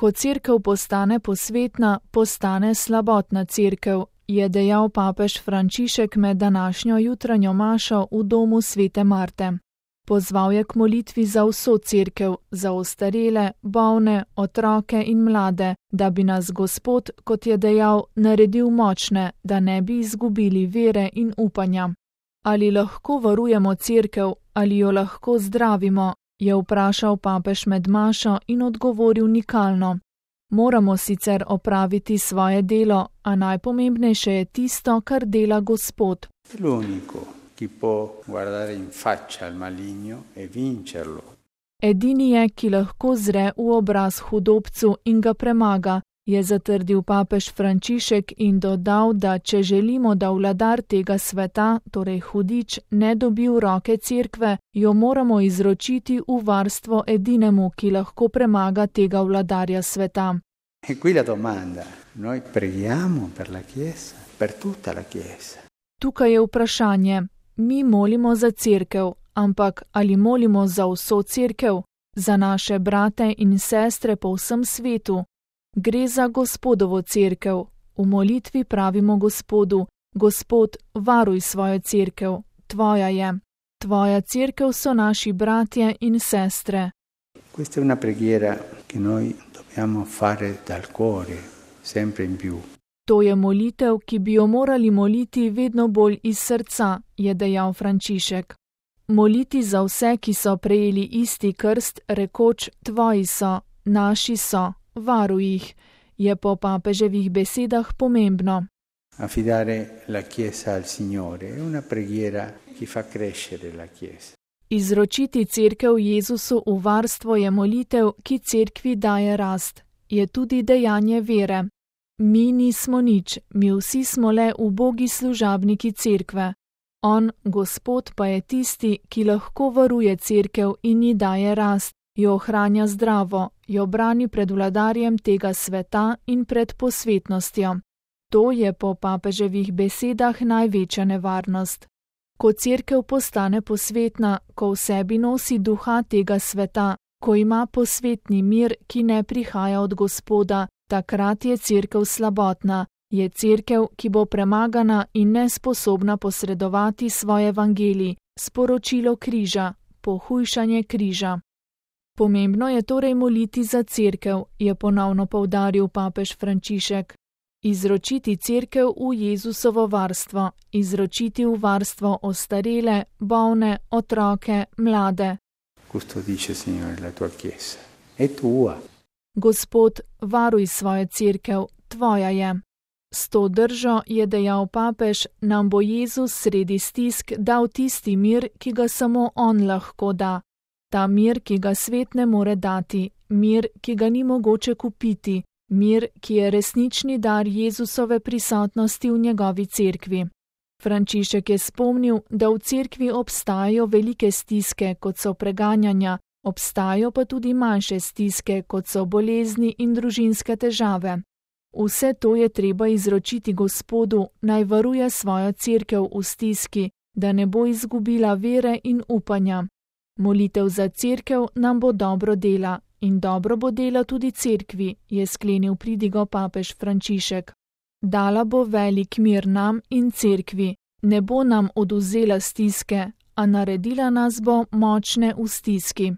Ko cerkev postane posvetna, postane slabotna cerkev, je dejal papež Frančišek med današnjo jutranjo mašo v domu svete Marte. Pozval je k molitvi za vso cerkev, za ostarele, bolne, otroke in mlade, da bi nas Gospod, kot je dejal, naredil močne, da ne bi izgubili vere in upanja. Ali lahko varujemo cerkev, ali jo lahko zdravimo, je vprašal papež med mašo in odgovoril nikalno. Moramo sicer opraviti svoje delo, a najpomembnejše je tisto, kar dela Gospod. Edini je, ki lahko zre v obraz hudobcu in ga premaga, je zatrdil papež Frančišek in dodal, da če želimo, da vladar tega sveta, torej hudič, ne dobi v roke cerkve, jo moramo izročiti v varstvo edinemu, ki lahko premaga tega vladarja sveta. E qui la domanda, noi preghiamo per la Chiesa, per tutta la Chiesa. Tukaj je vprašanje, mi molimo za cerkev, ampak ali molimo za vso cerkev, za naše brate in sestre po vsem svetu? Gre za Gospodovo cerkev. V molitvi pravimo Gospodu, Gospod, varuj svojo cerkev, tvoja je. Tvoja cerkev so naši bratje in sestre. Questa è una preghiera che noi dobbiamo fare dal cuore, sempre in più. To je molitev, ki bi jo morali moliti vedno bolj iz srca, je dejal Frančišek. Moliti za vse, ki so prejeli isti krst, rekoč, tvoji so, naši so, varuj jih, je po papeževih besedah pomembno. Affidare la Chiesa al Signore è una preghiera che fa crescere la Chiesa. Izročiti cerkev Jezusu v varstvo je molitev, ki cerkvi daje rast, je tudi dejanje vere. Mi nismo nič, mi vsi smo le ubogi služabniki cerkve. On, Gospod, pa je tisti, ki lahko varuje cerkev in ji daje rast, jo ohranja zdravo, jo brani pred vladarjem tega sveta in pred posvetnostjo. To je po papeževih besedah največja nevarnost. Ko cerkev postane posvetna, ko v sebi nosi duha tega sveta, ko ima posvetni mir, ki ne prihaja od Gospoda, takrat je cerkev slabotna, je cerkev, ki bo premagana in nesposobna posredovati svoje evangelij, sporočilo križa, pohujšanje križa. Pomembno je torej moliti za cerkev, je ponovno poudaril papež Frančišek. Izročiti cerkev v Jezusovo varstvo, izročiti v varstvo ostarele, bolne, otroke, mlade. Custodisce, Signore, la tua Chiesa. È tua. Gospod, varuj svojo cerkev, tvoja je. S to držo, je dejal papež, nam bo Jezus sredi stisk dal tisti mir, ki ga samo on lahko da. Ta mir, ki ga svet ne more dati, mir, ki ga ni mogoče kupiti, mir, ki je resnični dar Jezusove prisotnosti v njegovi cerkvi. Frančišek je spomnil, da v cerkvi obstajajo velike stiske, kot so preganjanja, obstajajo pa tudi manjše stiske, kot so bolezni in družinske težave. Vse to je treba izročiti Gospodu, naj varuje svojo cerkev v stiski, da ne bo izgubila vere in upanja. Molitev za cerkev nam bo dobro dela in dobro bo dela tudi cerkvi, je sklenil pridigo papež Frančišek. Dala bo velik mir nam in cerkvi, ne bo nam odvzela stiske, a naredila nas bo močne v stiski.